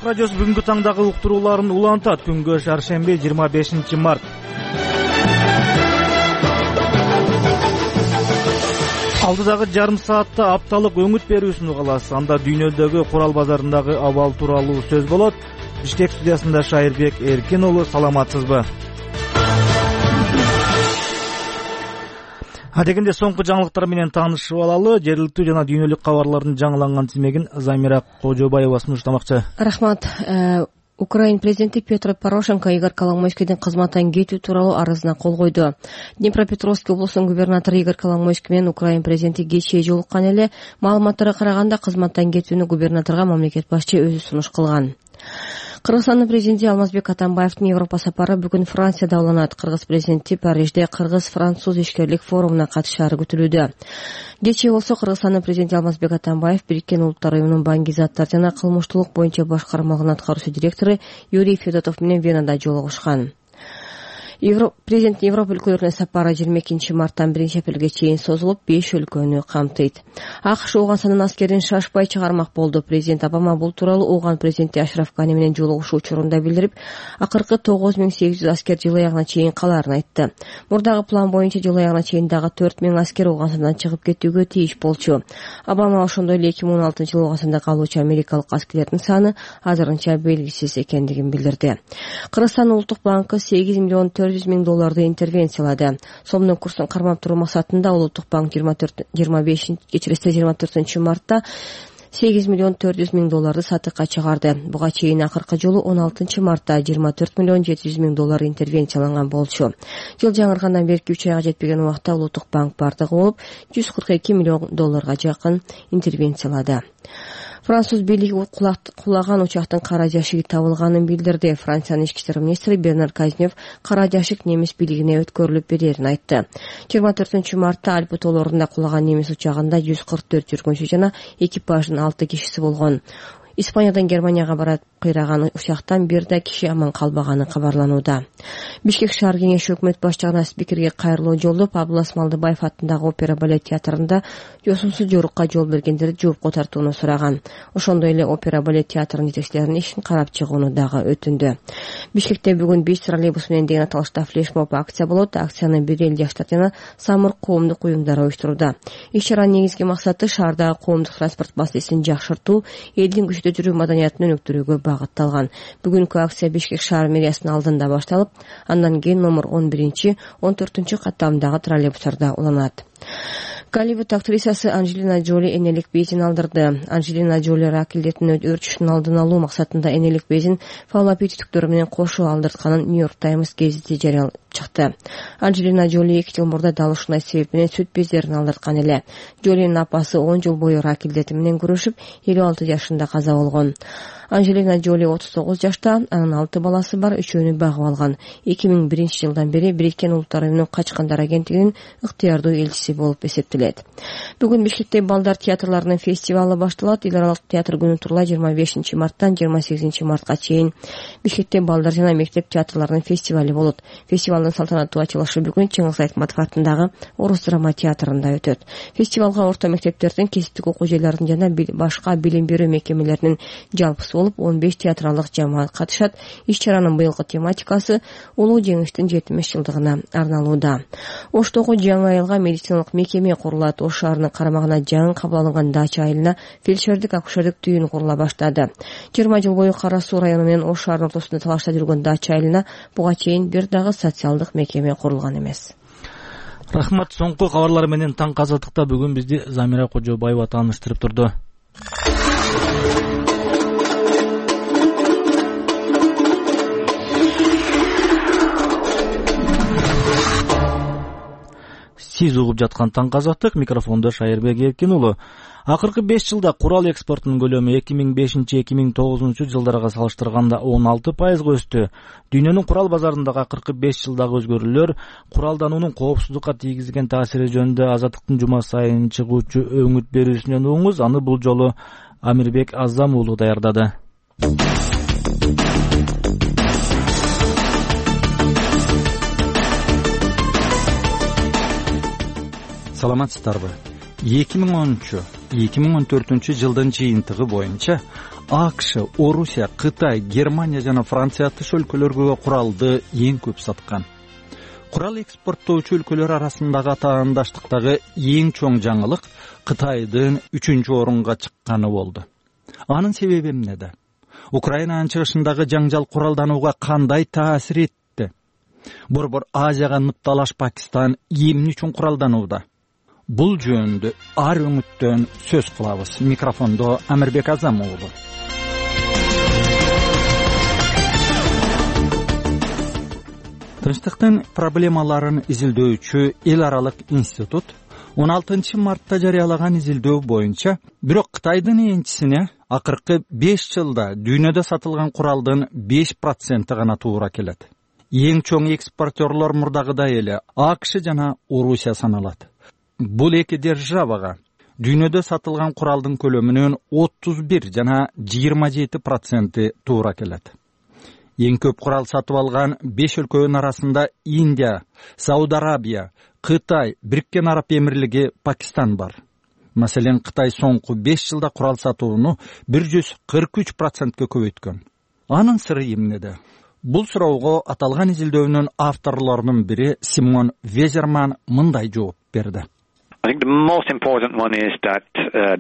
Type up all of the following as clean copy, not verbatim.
Ак радиосу бүгүнкү таңдагы уктурууларын улантат. Күнгө шаршемби 25 март. Алдыдагы жарым саатта апталык өңүт берүүсүн угаласыз. Анда дүйнөдөгү курал базарындагы абал тууралуу сөз болот. Бишкек студиясында Шайырбек Эркин уулу, саламатсызбы? Адегенде соңку жаңылыктар менен таанышып алалы. Жергиликтүү жана дүйнөлүк кабарлардын жаңыланган тизмегин Замира Кожобаева сунуштамакчы. Рахмат. Украин президенти Петро Порошенко Игорь Коломойскийдин кызматтан кетүү тууралуу арызына кол койду. Днепропетровск облусунун губернатору Игорь Коломойский менен Украин президенти кечээ жолуккан эле. Маалыматтарга караганда кызматтан кетүүнү губернаторго мамлекет башчы өзү сунуш кылган. Кыргызстандын президенти Алмазбек Атамбаевдин Европа сапары бүгүн Францияда уланат. Кыргыз президенти Парижде кыргыз-француз ишкерлик форумуна катышаары күтүлүүдө. Кечээ болсо Кыргызстандын президенти Алмазбек Атамбаев Бириккен Улуттар уюмунун банки заттар жана кылмыштуулук боюнча башкармалыгынын аткаруучу директору Юрий Федотов менен Венада жолугушкан. Президенттин Европа өлкөлөрүнө сапары 22 марттан 1 апрелге чейин созулуп, 5 өлкөнү камтыйт. АКШ Ооганстандын аскерин шашпай чыгармак болду. Президент Обама бул тууралуу Ооган президенти Ашраф Гани менен жолугушуу учурунда билдирип, акыркы 9800 аскер жыл аягына чейин калаарын айтты. Мурдагы план боюнча жыл аягына чейин дагы 4000 аскер Ооганстандан чыгып кетүүгө тийиш болчу. Обама ошондой эле 2016 жылы Ооганстанда калуучу америкалык аскерлердин саны азырынча белгисиз экендигин билдирди. Кыргызстан улуттук банкы $8 миллион $400,000 интервенциялады. Сомдун курсун кармап туруу максатында Улуттук банк 24 мартта $8 миллион $400,000 сатыкка чыгарды. Буга чейин акыркы жолу 16 мартта $24 миллион $700,000 интервенцияланган болчу. Жыл жаңыргандан берки 3 айга жетпеген убакта Улуттук банк бардыгы болуп $142 миллион жакын интервенциялады. Француз бийлиги кулаган учактын кара жашыгы табылганын билдирди. Франциянын ички иштер министри Бернар Казнев кара жашык немис бийлигине өткөрүлүп берерин айтты. 24 мартта Альпы тоолорунда кулаган немис учагында 144 жүргүнчү жана экипаждын 6 кишиси болгон. Испаниядан Германияга барат кыйраган учактан бир да киши аман калбаганы кабарланууда. Бишкек шаар кеңеши өкмөт башчыгына спикерге кайрылуу жолдоп, Абылас Малдыбаев атындагы опера балет театрында жосумсуз жорукка жол бергендерди жоопко тартууну сураган. Ошондой эле опера балет театрынын жетекчилеринин ишин карап чыгууну дагы өтүндү. Бишкекте бүгүн 5 троллейбус менен деген аталышта флешмоб акция болот. Акцияны бир эл жаштар жана самырык коомдук уюмдары уюштурууда. Иш-чаранын негизги максаты шаардагы коомдук транспорт маселесин жакшыртуу, элдин көчөдө жүрүү маданиятын өнүктүрүүгө багытталган. Бүгүнкү акция Бишкек шаар мэриясынын алдында башталып, андан кийин номер 11-14 каттамдагы троллейбустарда уланат. Голливуд актрисасы Анджелина Джоли энелик безин алдырды. Анджелина Джоли рак илдетинин өрчүшүнүн алдын алуу максатында энелик безин фаллопий түтүктөрү менен кошо алдыртканын Нью-Йорк Таймс гезити жарыялап чыкты. Анджелина Джоли 2 жыл мурда дал ушундай себеп менен сүт бездерин алдырткан эле. Джолинин апасы 10 жыл бою рак илдети менен күрөшүп, 56 жашында каза болгон. Анджелина Джоли 39 жашта, анын 6 баласы бар, үчөөнү багып алган. 2001 жылдан бери Бириккен Улуттар уюмунун качкандар агенттигинин ыктыярдуу элчиси болуп эсептелет. Бүгүн Бишкекте балдар театрларынын фестивалы башталат. Эл аралык театр күнү тууралуу 25 марттан 28 мартка чейин Бишкекте балдар жана мектеп театрларынын фестивали болот. Фестивалдын салтанаттуу ачылышы бүгүн Чыңгыз Айтматов атындагы Орус драма театрында өтөт. Фестивалга орто мектептердин, кесиптик окуу жайлардын жана башка билим берүү мекемелеринин жалпысы болуп 15 театралык жамаат катышат. Иш-чаранын быйылкы тематикасы улуу жеңиштин 70 жылдыгына арналууда. Оштогу жаңы айылга медициналык мекеме курулат. Ош шаарынын карамагына жаңы кабыл алынган дача айылына фельдшердик акушердик түйүн курула баштады. 20 жыл бою Кара Суу району менен Ош шаарынын ортосунда талашта жүргөн дача айылына буга чейин бир дагы социалдык мекеме курулган эмес. Рахмат. Соңку кабарлар менен таң казаттыкта бүгүн бизди Замира Кожобаева тааныштырып турду. Сиз угуп жаткан таң казаттык, микрофондо Шайырбек Эркин уулу. Акыркы 5 жылда курал экспортунун көлөмү 2005-2009 жылдарга салыштырганда 16% өстү. Дүйнөнүн курал базарындагы акыркы 5 жылдагы өзгөрүүлөр куралдануунун коопсуздукка тийгизген таасири жөнүндө Азаттыктын жума сайын чыгуучу өңүт берүүсүнөн угуңуз. Аны бул жолу Амирбек Азам уулу даярдады. Саламатсыздарбы? 2013-2014 жылдын жыйынтыгы боюнча АКШ, Орусия, Кытай, Германия жана Франция атыш өлкөлөргө куралды эң көп саткан. Курал экспорттоочу өлкөлөр арасындагы атаандаштыктагы эң чоң жаңылык Кытайдын 3-орунга чыкканы болду. Анын себеби эмнеде? Украинанын чыгышындагы жаңжал куралданууга кандай таасир этти? Борбор Азияга ныкталаш Пакистан эмне үчүн куралданууда? Бул жөнүндө ар өңүттөн сөз кылабыз. Микрофондо Амирбек Азам уулу. Тынчтыктын проблемаларын изилдөөчү эл аралык институт 16 мартта жарыялаган изилдөө боюнча, бирок Кытайдын энчисине акыркы 5 жылда дүйнөдө сатылган куралдын 5% гана туура келет. Эң чоң экспортерлор мурдагыдай эле АКШ жана Орусия саналат. Бул эки державага дүйнөдө сатылган куралдын көлөмүнүн 31 жана 27% туура келет. Эң көп курал сатып алган 5 өлкөнүн арасында Индия, Сауд Арабия, Кытай, Бириккен Араб Эмирлиги, Пакистан бар. Маселен, Кытай соңку 5 жылда курал сатууну 143%га көбөйткөн. Анын сыры эмнеде? Бул суроого аталган изилдөөнүн авторлорунун бири Симон Везерман мындай жооп берди. I think the most important one is that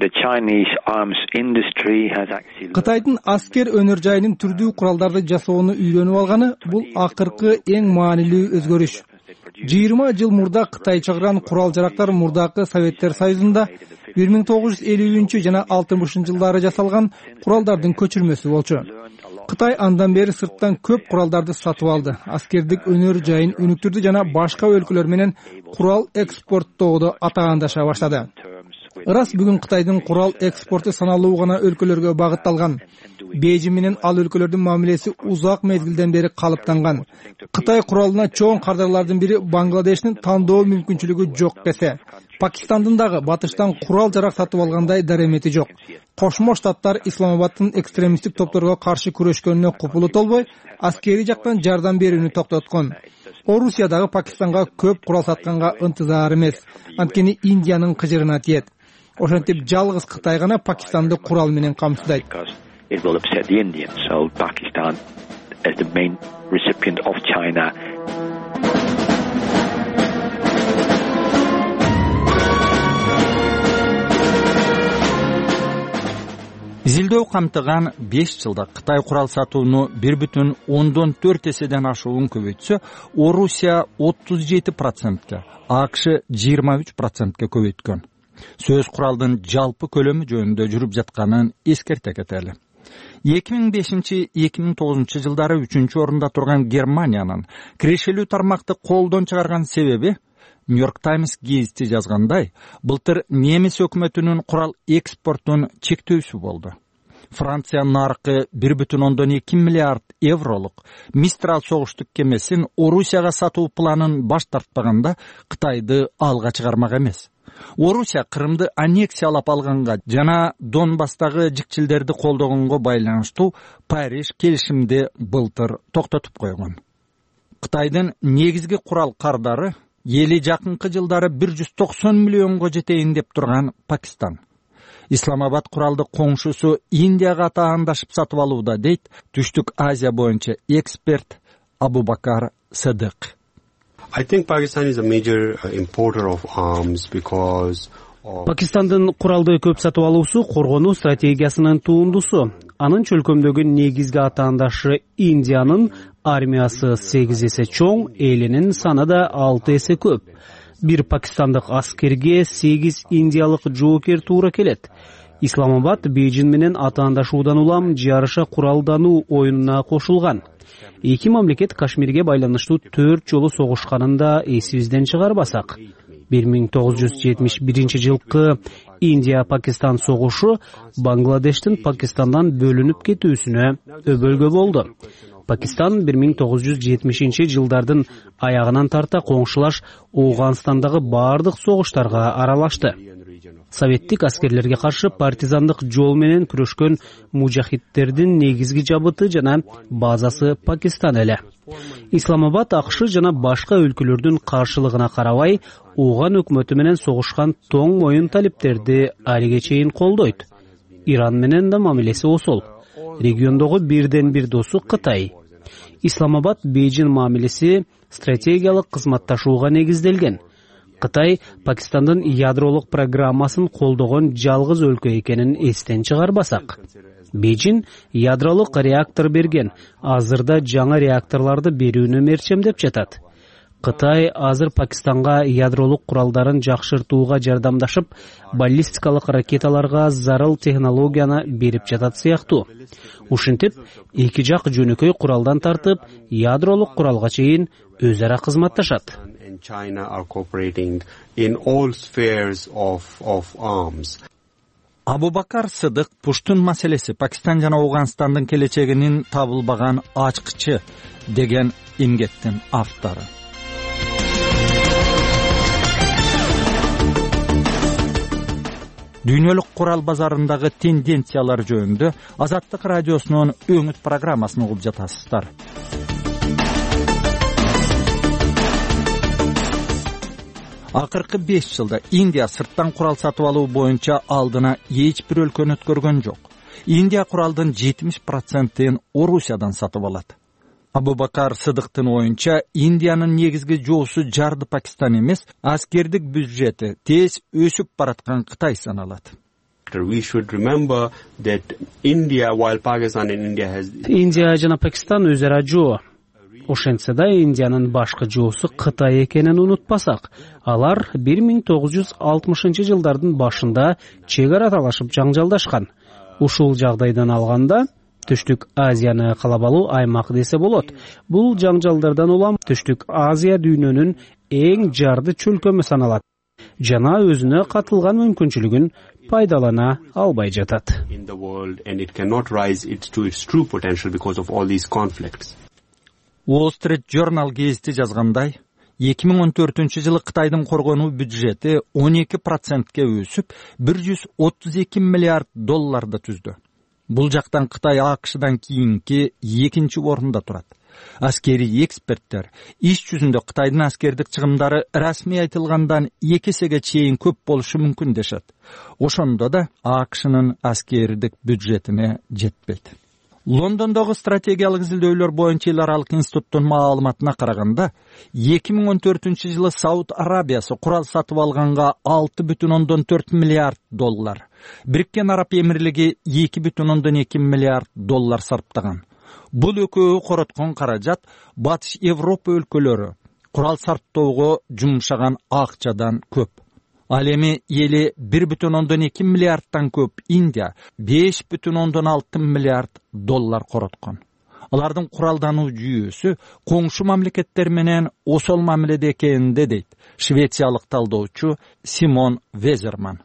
the Chinese arms industry has actually Кытайдын аскер өнөр жайынын түрдүү куралдарды жасоону үйрөнүп алганы бул акыркы эң маанилүү өзгөрүш. 20 жыл мурда Кытай чыгарган курал-жарактар мурдакы Советтер Союзунда 1950 жана 60 жылдары жасалган куралдардын көчүрмөсү болчу. Кытай андан бери сырттан көп куралдарды сатып алды, аскердик өнөр жайын өнүктүрдү жана башка өлкөлөр менен курал экспорттоодо атаандаша баштады. Ырас бүгүн Кытайдын курал экспорту саналуу гана өлкөлөргө багытталган. Бейжин менен ал өлкөлөрдүн мамилеси узак мезгилден бери калыптанган. Кытай куралына чоң кардарлардын бири Бангладештин тандоо мүмкүнчүлүгү жок десе, Пакистандын дагы батыштан курал-жарак сатып алгандай даремети жок. Кошмо Штаттар Исламабадтын экстремисттик топторго каршы күрөшкөнүнө купулу толбой, аскери жактан жардам берүүнү токтоткон. Орусия дагы Пакистанга көп курал сатканга ынтызар эмес. Анткени Индиянын кыжырына тиет. Ошентип жалгыз Кытай гана Пакистанды курал менен камсыздайт. It will upset the Indians. So Pakistan, as the main recipient of China, Изилдөө камтыган 5 жылда Кытай курал сатууну 1,4 эседен ашуун көбөйтсө, Орусия 37%, АКШ 23%га көбөйткөн. Сөз куралдын жалпы көлөмү жөнүндө жүрүп жатканын эскерте кетели. 2005-2009 жылдары 3-орунда турган Германиянын кирешелүү тармакты колдон чыгарган себеби Нью-Йорк Таймс гезити жазгандай, былтыр немис өкмөтүнүн курал экспортун чектөөсү болду. Франция наркы 1,2 миллиард евролук Мистрал согуштук кемесин Орусияга сатуу планын баш тартпаганда Кытайды алга чыгармак эмес. Орусия Крымды аннексиялап алганга жана Донбасстагы жикчилдерди колдогонго байланыштуу Париж келишимди былтыр токтотуп койгон. Кытайдын негизги курал кардары эли жакынкы жылдары 190 миллионго жетейин деп турган Пакистан. Исламабад куралды коңшусу Индияга атаандашып сатып алууда, дейт Түштүк Азия боюнча эксперт Абубакар Садык. I think Pakistan is a major importer of arms because Пакистандын куралды көп сатып алуусу коргонуу стратегиясынын туындусу. Анын чөлкөмдөгү негизги атаандашы Индиянын армиясы 8 эсе чоң, элинин саны да 6 эсе көп. Бир пакистандык аскерге 8 индиялык жоокер туура келет. Исламабад Бейжин менен атаандашуудан улам жарыша куралдануу оюнуна кошулган. Эки мамлекет Кашмирге байланыштуу 4 жолу согушканын да эсибизден чыгарбасак. 1971 жылкы Индия-Пакистан согушу Бангладештин Пакистандан бөлүнүп кетүүсүнө өбөлгө болду. Пакистан 1970 жылдардын аягынан тарта коңшулаш Ооганстандагы бардык согуштарга аралашты. Советтик аскерлерге каршы партизандык жол менен күрөшкөн мужахидтердин негизги жабыты жана базасы Пакистан эле. Исламабад АКШ жана башка өлкөлөрдүн каршылыгына карабай, Ооган өкмөтү менен согушкан тоң моюн талиптерди алиге чейин колдойт. Иран менен да мамилеси осол. региондогу бирден бир досу Кытай. Исламабад Бейжин мамилеси стратегиялык кызматташууга негизделген. Кытай Пакистандын ядролук программасын колдогон жалгыз өлкө экенин эстен чыгарбасак. Бейжин ядролук реактор берген, азырда жаңы реакторларды берүүнү мерчемдеп жатат. Кытай азыр Пакистанга ядролук куралдарын жакшыртууга жардамдашып, баллистикалык ракеталарга зарыл технологияны берип жатат сыяктуу. Ушинтип, эки жак жөнөкөй куралдан тартып, ядролук куралга чейин өз ара кызматташат. Абубакар Сыдык Пуштун маселеси Пакистан жана Афганистандын келечегинин табылбаган ачкычы деген эмгектин автору. Дүйнөлүк курал базарындагы тенденциялар жөнүндө Азаттык радиосунун өңүт программасын угуп жатасыздар. Акыркы 5 жылда Индия сырттан курал сатып алуу боюнча алдына эч бир өлкөнү өткөргөн жок. Индия куралдын 70%-ин Орусиядан сатып алат. Абубакар Сыдыктын оюнча, Индиянын негизги жоосу жарды Пакистан эмес, аскердик бюджети тез өсүп бараткан Кытай саналат. Индия жана Пакистан өз ара жоо. Ошентсе да Индиянын башкы жоосу Кытай экенин унутпасак, алар 1960-жылдардын башында чек ара талашып жаңжалдашкан. Ушул жагдайдан алганда Түштүк Азияны каалап алуу аймак десе болот. Бул жаңжалдардан улам Түштүк Азия дүйнөнүн эң жарды чөлкөмү саналат жана өзүнө катылган мүмкүнчүлүгүн пайдалана албай жатат. Wall Street Journal гезити жазгандай, 2014-жылы Кытайдын коргонуу бюджети 12%ке өсүп, 132 миллиард долларды түздү. Бул жактан Кытай АКШдан кийинки экинчи орунда турат. Аскерий эксперттер иш жүзүндө Кытайдын аскердик чыгымдары расмий айтылгандан 2 эсеге чейин көп болушу мүмкүн дешет. Ошондо да АКШнын аскердик бюджетине жетпейт. Лондондогу стратегиялык изилдөөлөр боюнча эл аралык институттун маалыматына караганда, 2014-жылы Сауд Арабиясы курал сатып алганга 6,4 миллиард доллар, Бириккен Араб Эмирлиги 2,2 миллиард доллар сарптаган. Бул экөө короткон каражат Батыш Европа өлкөлөрү курал сарптоого жумшаган акчадан көп. Ал эми эли 1,2 миллиардтан көп Индия 5,6 миллиард доллар короткон. Алардын куралдануу жүйөсү коңшу мамлекеттер менен осол мамиледе экенинде дейт швециялык талдоочу Симон Везерман.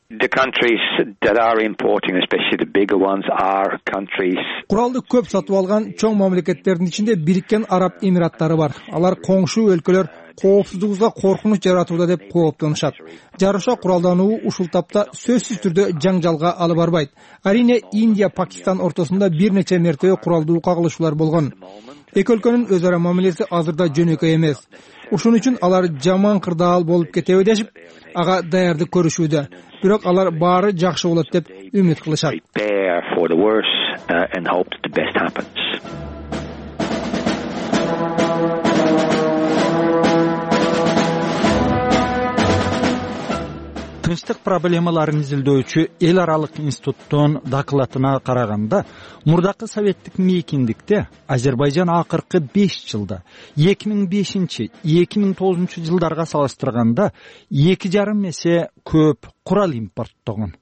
The countries that are importing, especially the bigger ones, are countries. Куралды көп сатып алган чоң мамлекеттердин ичинде Бириккен Араб Эмираттары бар. Алар коңшу өлкөлөр коопсуздугубузга коркунуч жаратууда деп кооптонушат. Жарыша куралдануу ушул тапта сөзсүз түрдө жаңжалга алып барбайт. Арине Индия Пакистан ортосунда бир нече мертебе куралдуу кагылышуулар болгон. Эки өлкөнүн өз ара мамилеси азырда жөнөкөй эмес. Ушун үчүн алар жаман кырдаал болуп кетеби дешип, ага даярдык көрүшүүдө. Бирок алар баары жакшы болот деп үмүт кылышат. Тынчтык проблемаларын изилдөөчү эл аралык институттун докладына караганда, мурдакы советтик мейкиндикте Азербайжан акыркы 5 жылда 2005-2009 жылдарга салыштырганда 2,5 эсе көп курал импорттогон.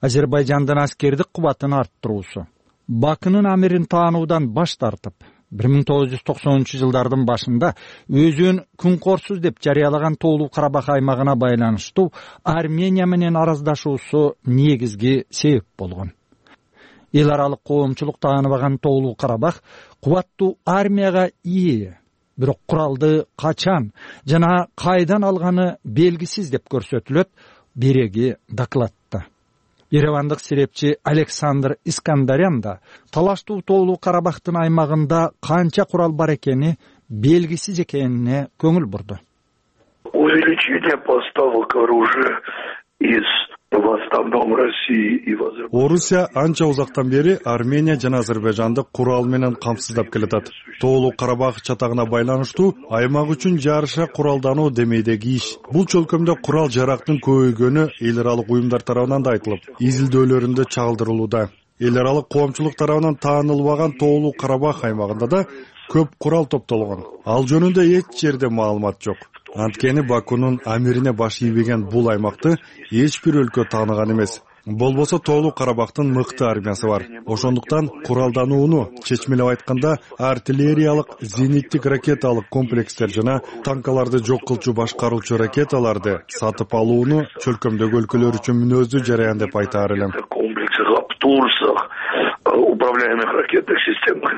Азербайжандын аскердик кубатын арттыруусу, Бакынын амирин таануудан баш тартып, 1990-жылдардын башында өзүн күнкорсуз деп жарыялаган Тоолуу Карабах аймагына байланыштуу Армения менен араздашуусу негизги себеп болгон. Эл аралык коомчулук тааныбаган Тоолуу Карабах кубаттуу армияга ээ, бирок куралды качан жана кайдан алганы белгисиз деп көрсөтүлөт береги докладта. Еревандык серепчи Александр Искандарян да талаштуу Тоолуу Карабахтын аймагында канча курал бар экени белгисиз экенине көңүл бурду. Увеличение поставок оружия из в основном Орусия анча узактан бери Армения жана Азербайжанды курал менен камсыздап келатат. Тоолуу Карабах чатагына байланыштуу аймак үчүн жарыша куралдануу демейдеги иш. Бул чөлкөмдө курал жарактын көбөйгөнү эл аралык уюмдар тарабынан да айтылып, изилдөөлөрүндө чагылдырылууда. Эл аралык коомчулук тарабынан таанылбаган Тоолуу Карабах аймагында да көп курал топтолгон. Ал жөнүндө эч жерде маалымат жок. Анткени Бакунун амирине баш ийбеген бул аймакты эч бир өлкө тааныган эмес. Болбосо Тоолуу Карабахтын мыкты армиясы бар. Ошондуктан куралданууну, чечмелеп айтканда, артиллериялык, зениттик ракеталык комплекстер жана танкаларды жок кылчу башкаруучу ракеталарды сатып алууну чөлкөмдөгү өлкөлөр үчүн мүнөздүү жараян деп айтаар элем. Управляемых ракетных системах.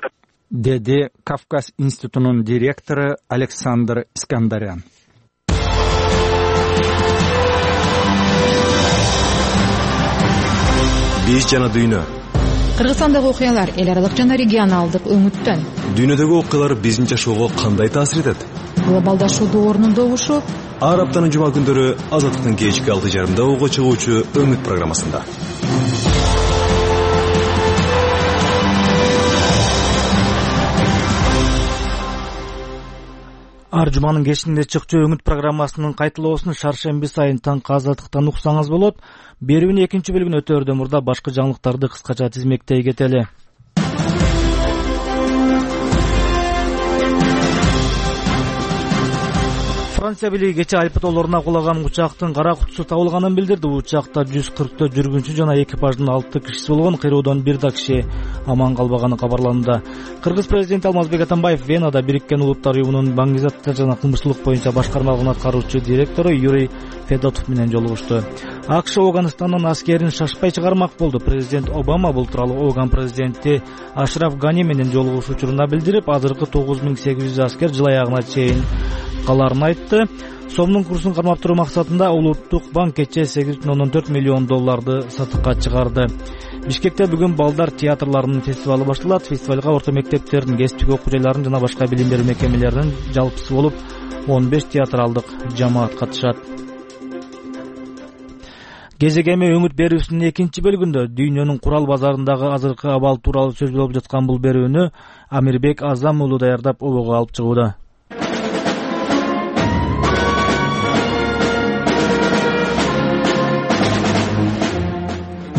Деди Кавказ институтунун директору Александр Искандарян. Биз жана дүйнө. Кыргызстандагы окуялар эл аралык жана регионалдык өңүттөн. Дүйнөдөгү окуялар биздин жашоого кандай таасир этет? Глобалдашуу доорунун добушу ар аптанын жума күндөрү Азаттыктын кечки 6:30 ого чыгуучу Өңүт программасында. Ар жуманын кечинде чыкчу Өңүт программасынын кайталоосун шаршемби сайын таңкы Азаттыктан уксаңыз болот. Берүүнүн экинчи бөлүгүн өтөөрдөн мурда башкы жаңылыктарды кыскача тизмектей кетели. Франция бийлиги кече Альпы тоолоруна кулаган учактын кара кутусу табылганын билдирди. Учакта 140 жүргүнчү жана экипаждын 6 кишиси болгон, кыйроодон бир да киши аман калбаганы кабарланды. Кыргыз президенти Алмазбек Атамбаев Венада Бириккен Улуттар уюмунун баңгы заттар жана кылмыштуулук боюнча башкармалыгын аткаруучу директору Юрий Федотов менен жолугушту. АКШ Афганистандан аскерин шашпай чыгармак болду. Президент Обама бул тууралуу Афган президенти Ашраф Гани менен жолугушуу учурунда билдирип, азыркы 9800 аскер жыл аягына чейин каларын айтты. Сомдун курсун кармап туруу максатында Улуттук банк кече $8.4 миллион сатыкка чыгарды. Бишкекте бүгүн балдар театрларынын фестивалы башталат. Фестивалга орто мектептердин, кесиптик окуу жайларынын жана башка билим берүү мекемелеринин жалпысы болуп 15 театралдык жамаат катышат. Кезегеме өңүт берүүсүнүн экинчи бөлүгүндө дүйнөнүн курал базарындагы азыркы абал тууралуу сөз болуп жаткан бул берүүнү Амирбек Азам уулу даярдап обого алып чыгууда.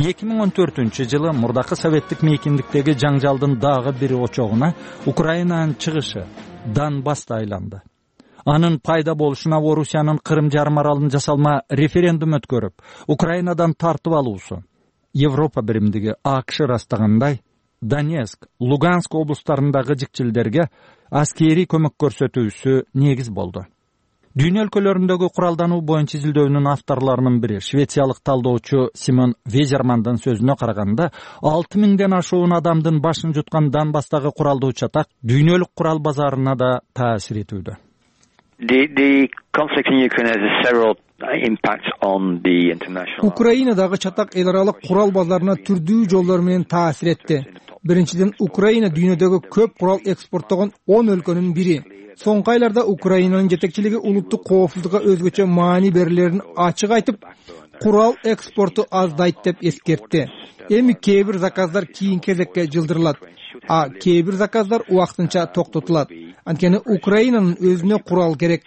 2014-жылы мурдакы советтик мейкиндиктеги жаңжалдын дагы бир очогуна Украинанын чыгышы Донбасс айланды. Анын пайда болушуна Орусиянын Кырым жарым аралын жасалма референдум өткөрүп, Украинадан тартып алуусу, Европа биримдиги АКШ ырастагандай, Донецк, Луганск облустарындагы жикчилдерге аскери көмөк көрсөтүүсү негиз болду. Дүйнө өлкөлөрүндөгү куралдануу боюнча изилдөөнүн авторлорунун бири швециялык талдоочу Симон Везермандын сөзүнө караганда, 6000ден ашуун адамдын башын жуткан Донбасстагы куралдуу чатак дүйнөлүк курал базарына да таасир этүүдө. The conflict in Ukraine has several impacts on the international. Украинадагы чатак эл аралык курал базарына түрдүү жолдор менен таасир этти. Биринчиден, Украина дүйнөдөгү көп курал экспорттогон 10 өлкөнүн бири. Соңку айларда Украинанын жетекчилиги улуттук коопсуздукка өзгөчө маани берилерин ачык айтып, курал экспорту аздайт деп эскертти. Эми кээ бир заказдар кийинки кезекке жылдырылат, а кээ бир заказдар убактынча токтотулат. Анткени Украинанын өзүнө курал керек.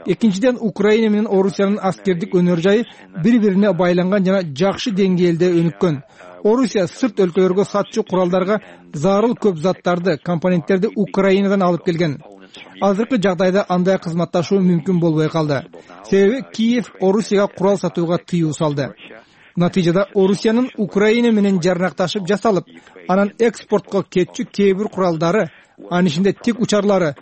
Экинчиден, Украина менен Орусиянын аскердик өнөр жайы бири-бирине байланган жана жакшы деңгээлде өнүккөн. Орусия сырт өлкөлөргө сатчу куралдарга зарыл көп заттарды, компоненттерди Украинадан алып келген. Азыркы жагдайда андай кызматташуу мүмкүн болбой калды. Себеби Киев Орусияга курал сатууга тыюу салды. Натыйжада Орусиянын Украина менен жарнакташып жасалып, анан экспортко кетчү кээ бир куралдары, анын ичинде тик учарлары,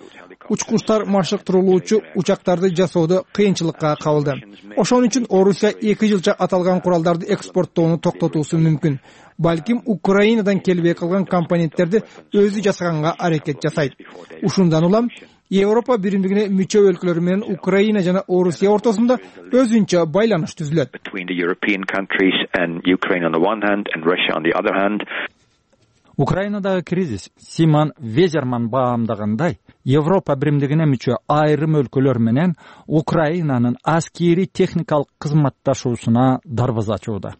учкучтар машыктырылуучу учактарды жасоодо кыйынчылыкка кабылды. Ошон үчүн Орусия 2 жылча аталган куралдарды экспорттоону токтотуусу мүмкүн. Балким Украинадан келбей калган компоненттерди өзү жасаганга аракет жасайт. Ушундан улам Европа биримдигине мүчө өлкөлөр менен Украина жана Орусия ортосунда өзүнчө байланыш түзүлөт. Украинадагы кризис Симон Везерман баамдагандай, Европа биримдигине мүчө айрым өлкөлөр менен Украинанын аскери техникалык кызматташуусуна дарбаза ачууда.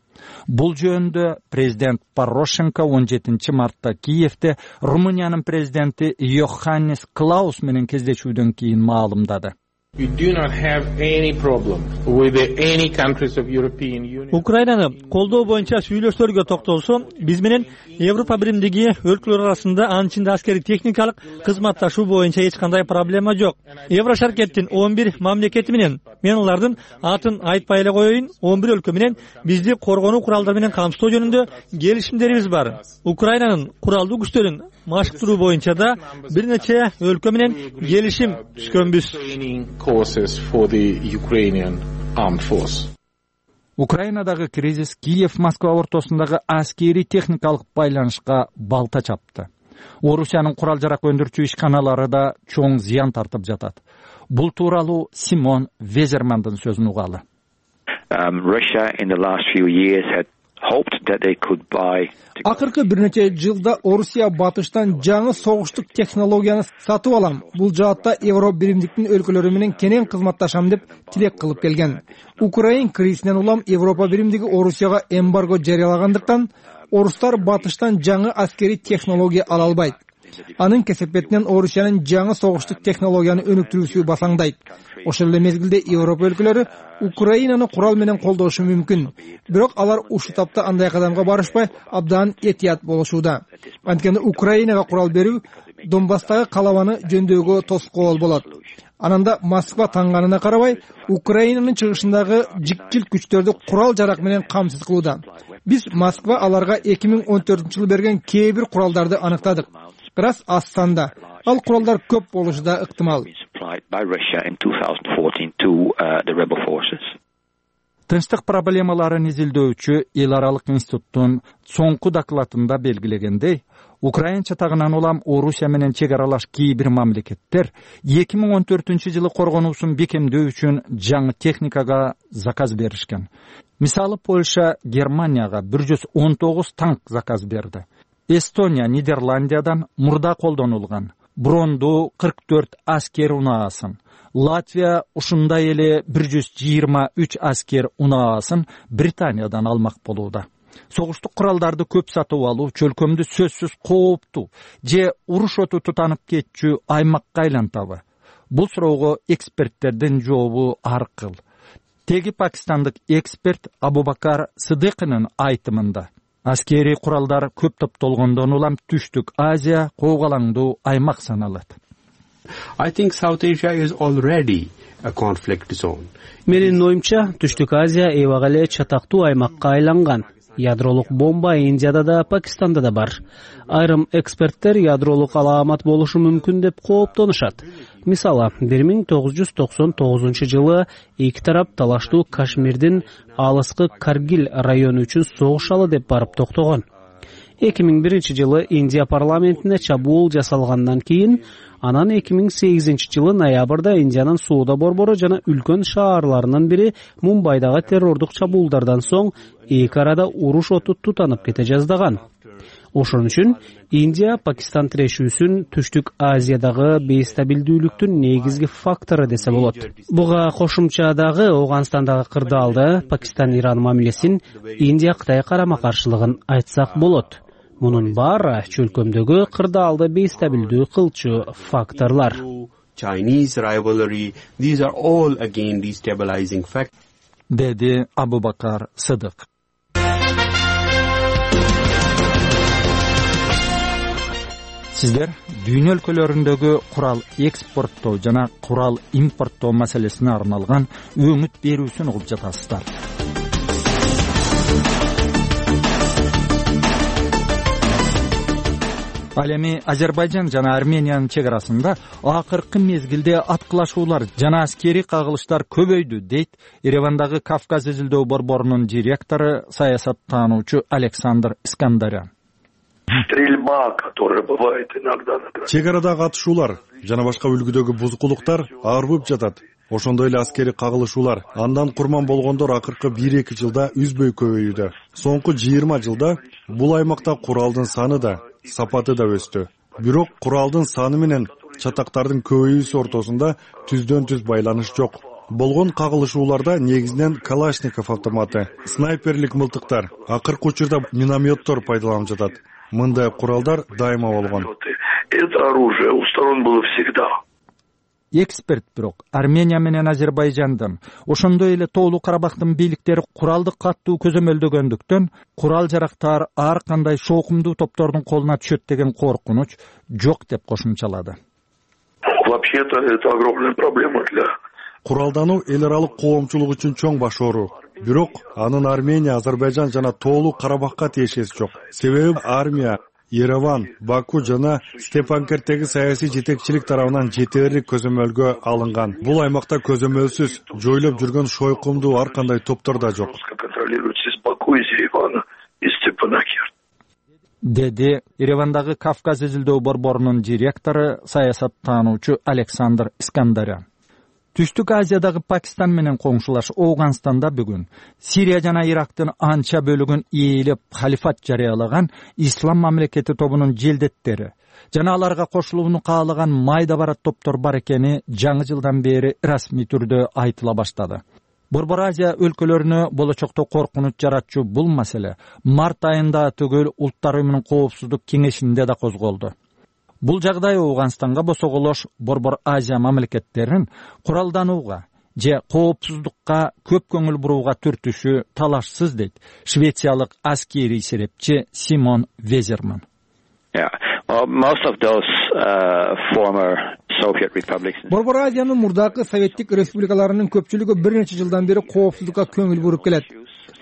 Бул жөнүндө президент Порошенко 17 мартта Киевде Румыниянын президенти Йоханнис Клаус менен кездешүүдөн кийин маалымдады. Украинаны колдоо боюнча сүйлөшүүлөргө токтолсо, биз менен Европа биримдиги өлкөлөр арасында анын аскери техникалык кызматташуу боюнча эч кандай проблема жок. Еврошаркеттин 11 мамлекети менен, мен алардын атын айтпай эле коеюн, 11 өлкө менен бизди коргонуу куралдары менен камсыздоо жөнүндө келишимдерибиз бар. Украинанын куралдуу күчтөрүн машыктыруу боюнча да бир нече өлкө менен келишим түзгөнбүз. Украинадагы кризис Киев-Москва ортосундагы аскери техникалык байланышка балта чапты. Орусиянын курал-жарак өндүрүүчү ишканалары да чоң зыян тартып жатат. Бул тууралуу Симон Везермандын сөзүн угалы. Russia in the last few years had hoped that they could buy. Акыркы бир нече жылда Орусия батыштан жаңы согуштук технологияны сатып алам. Бул жаатта Европа биримдиктин өлкөлөрү менен кенен кызматташам деп тилек кылып келген. Украин кризисинен улам Европа биримдиги Орусияга эмбарго жарыялагандыктан орустар батыштан жаңы аскери технология ала албайт. Анын кесепетинен Орусиянын жаңы согуштук технологияны өнүктүрүүсү басаңдайт. Ошол эле мезгилде Европа өлкөлөрү Украинаны курал менен колдошу мүмкүн. Бирок алар ушул тапта андай кадамга барышпай, абдан этият болушууда. Анткени Украинага курал берүү Донбасстагы калабаны жөндөөгө тоскоол болот. Ананда Москва таңганына карабай, Украинанын чыгышындагы жикчил күчтөрдү курал-жарак менен камсыз кылууда. Биз Москва аларга 2014-жылы берген кээ бир куралдарды аныктадык. Бирок аз санда. Ал куралдар көп болушу да ыктымал. Тынчтык проблемаларын изилдөөчү Эл аралык институттун соңку докладында белгилегендей, Украин чатагынан улам Орусия менен чек аралаш кээ бир мамлекеттер 2014-жылы коргонуусун бекемдөө үчүн жаңы техникага заказ беришкен. Мисалы Польша Германияга 119 танк заказ берди. Эстония Нидерландиядан мурда колдонулган бронду 44 аскер унаасын, Латвия ушундай эле 123 аскер унаасын Британиядан алмак болууда. Согуштук куралдарды көп сатып алуу чөлкөмдү сөзсүз кооптуу же уруш оту тутанып кетчү аймакка айлантабы? Бул суроого эксперттердин жообу ар кыл. Теги пакистандык эксперт Абубакар Сыдыкынын айтымында, аскери куралдар көп топтолгондон улам Түштүк Азия коогалаңдуу аймак саналат. I think South Asia is already a conflict zone. Менин оюмча, Түштүк Азия эбак эле чатактуу аймакка айланган. Ядролук бомба Индияда да, Пакистанда да бар. Айрым эксперттер ядролук алаамат болушу мүмкүн деп кооптонушат. Мисалы, 1999-жылы эки тарап талаштуу Кашмирдин алыскы Каргил району үчүн согушалы деп барып токтогон. 2001-жылы Индия парламентине чабуул жасалгандан кийин, анан 2008-жылы ноябрда Индиянын сууда борбору жана үлкөн шаарларынын бири Мумбайдагы террордук чабуулдардан соң эки арада уруш оту тутанып кете жаздаган. Ошон үчүн Индия Пакистан тирешүүсүн Түштүк Азиядагы бейстабилдүүлүктүн негизги фактору десе болот. Буга кошумчадагы Афганистандагы кырдаалды, Пакистан-Иран мамилесин, Индия Кытай карама-каршылыгын айтсак болот. Мунун баары чөлкөмдөгү кырдаалды бейстабилдүү кылчу факторлар. Chinese rivalry, these are all again destabilizing factors. Деди Абубакар Сыдык. Сиздер дүйнө өлкөлөрүндөгү курал экспорттоо жана курал импорттоо маселесине арналган өңүт берүүсүн угуп жатасыздар. Ал эми Азербайжан жана Армениянын чек арасында акыркы мезгилде аткылашуулар жана аскери кагылыштар көбөйдү, дейт Еревандагы Кавказ изилдөө борборунун директору, саясаттануучу Александр Искандарян. Стрельба, которая бывает иногда. Чек арадагы атышуулар жана башка үлгүдөгү бузукулуктар арбып жатат. Ошондой эле аскери кагылышуулар, андан курман болгондор акыркы 1-2 жылда үзбөй көбөйүүдө. Соңку 20 жылда бул аймакта куралдын саны да, сапаты да өстү. Бирок куралдын саны менен чатактардын көбөйүүсү ортосунда түздөн түз байланыш жок. Болгон кагылышууларда негизинен Калашников автоматы, снайперлик мылтыктар, акыркы учурда минометтор пайдаланылып жатат. Мындай куралдар дайыма болгон. Это оружие у сторон было всегда. Эксперт бирок Армения менен Азербайжандын, ошондой эле Тоолуу Карабактын бийликтери куралды каттуу көзөмөлдөгөндүктөн курал жарактар ар кандай шоокумдуу топтордун колуна түшөт деген коркунуч жок деп кошумчалады. Вообще-то это огромная проблема для Куралдануу эл аралык коомчулук үчүн чоң баш оору. Бирок анын Армения, Азербайжан жана Тоолуу Карабакка тиешеси жок. Себеби армия Ереван, Баку жана Степанкерттеги саясий жетекчилик тарабынан жетерлик көзөмөлгө алынган. Бул аймакта көзөмөлсүз жойлоп жүргөн шойкумдуу ар кандай топтор да жок. Деди Еревандагы Кавказ изилдөө борборунун директору, саясаттануучу Александр Искандарян. Түштүк Азиядагы Пакистан менен коңшулаш Ооганстанда бүгүн Сирия жана Ирактын анча бөлүгүн ээлеп халифат жарыялаган Ислам мамлекети тобунун желдеттери жана аларга кошулууну каалаган майда барат топтор бар экени жаңы жылдан бери расмий түрдө айтыла баштады. Борбор Азия өлкөлөрүнө болочокто коркунуч жаратчу бул маселе март айында түгөл Улуттар уюмунун коопсуздук кеңешинде да козголду. Бул жагдай Ооганстанга босоголош Борбор Азия мамлекеттерин куралданууга же коопсуздукка көп көңүл бурууга түртүшү талашсыз дейт швециялык аскерий серепчи Симон Везерман. Борбор Азиянын мурдакы советтик республикаларынын көпчүлүгү бир нече жылдан бери коопсуздукка көңүл буруп келет.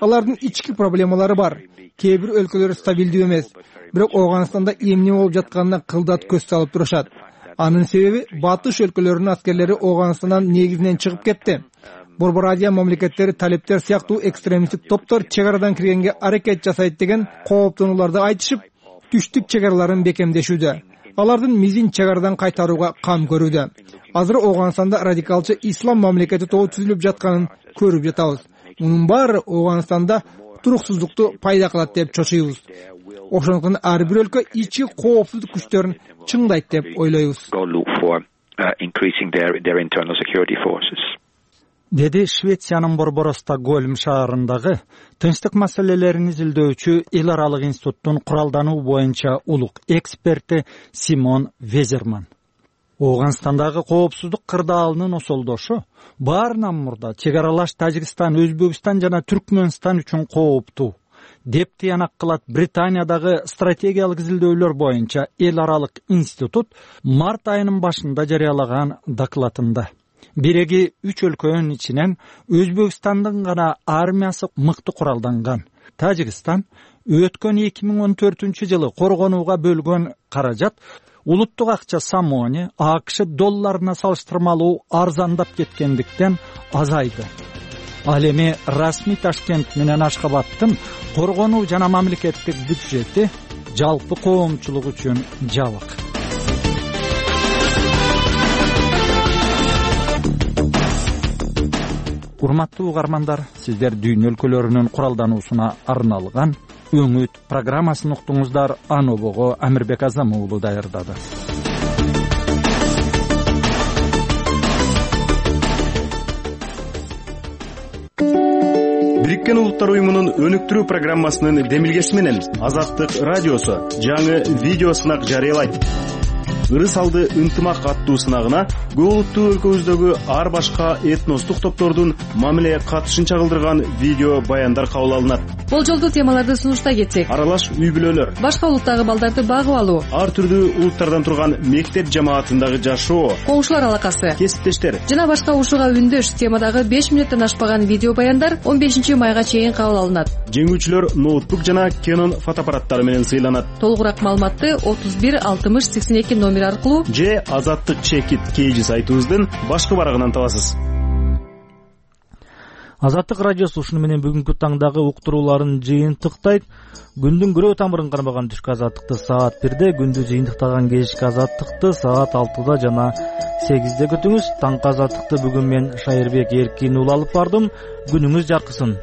Алардын ички проблемалары бар. Кээ бир өлкөлөр стабилдүү эмес. Бирок Ооганстанда эмне болуп жатканына кылдат көз салып турушат. Анын себеби батыш өлкөлөрүнүн аскерлери Ооганстандан негизинен чыгып кетти. Борбор Азия мамлекеттери талептер сыяктуу экстремисттик топтор чек арадан киргенге аракет жасайт деген кооптонууларды айтышып, түштүк чек араларын бекемдешүүдө. Алардын мизин чек арадан кайтарууга кам көрүүдө. Азыр Ооганстанда радикалчы ислам мамлекети тобу түзүлүп жатканын көрүп жатабыз. Мунун баары Ооганстанда туруксуздукту пайда кылат деп чочуйбуз. Ошондуктан ар бир өлкө ички коопсуздук күчтөрүн чыңдайт деп ойлойбуз. Деди Швециянын борбору Стокгольм шаарындагы тынчтык маселелерин изилдөөчү эл аралык институттун куралдануу боюнча улук эксперти Симон Везерман. Ооганстандагы коопсуздук кырдаалынын осолдошу баарынан мурда чек аралаш Тажикстан, Өзбекстан жана Түркмөнстан үчүн кооптуу деп тыянак кылат Британиядагы стратегиялык изилдөөлөр боюнча эл аралык институт март айынын башында жарыялаган докладында. Биреги 3 өлкөнүн ичинен Өзбекстандын гана армиясы мыкты куралданган. Тажикстан өткөн 2014 жылы коргонууга бөлгөн каражат улуттук акча самони АКШ долларына салыштырмалуу арзандап кеткендиктен азайды. Ал эми расмий Ташкент менен Ашхабадтын коргонуу жана мамлекеттик бюджети жалпы коомчулук үчүн жабык. Урматтуу угармандар, сиздер дүйнө өлкөлөрүнүн куралдануусуна арналган Өңүт программасын уктуңуздар. Анобого Амирбек Азам уулу даярдады. Бириккен Улуттар уюмунун өнүктүрүү программасынын демилгеси менен Азаттык радиосу жаңы видео сынак жарыялайт. Ырыс алды ынтымак аттуу сынагына көп улуттуу өлкөбүздөгү ар башка этностук топтордун мамиле катышын чагылдырган видео баяндар кабыл алынат. Болжолдуу темаларды сунуштай кетсек: аралаш үй бүлөлөр, башка улуттагы балдарды багып алуу, ар түрдүү улуттардан турган мектеп жамаатындагы жашоо, коңшулар алакасы, кесиптештер жана башка ушуга үндөш темадагы 5 мүнөттөн ашпаган видео баяндар 15 майга чейин кабыл алынат. Жеңүүчүлөр ноутбук жана Canon фотоаппараттары менен сыйланат. Толугураак маалыматты 31 60 82 номер аркылуу же Азаттык Чекит кейжи сайтыбыздын башкы барагынан табасыз. Азаттык радиосу ушуну менен бүгүнкү таңдагы уктурууларын жыйынтыктайт. Күндүн күрөө тамырын кармаган түшкү азаттыкты саат 1-де, күндү жыйынтыктаган кечки азаттыкты саат 6-да жана 8-де күтүңүз. Таңкы азаттыкты бүгүн мен Шайырбек Эркин уулу алып бардым. Күнүңүз жаркысын.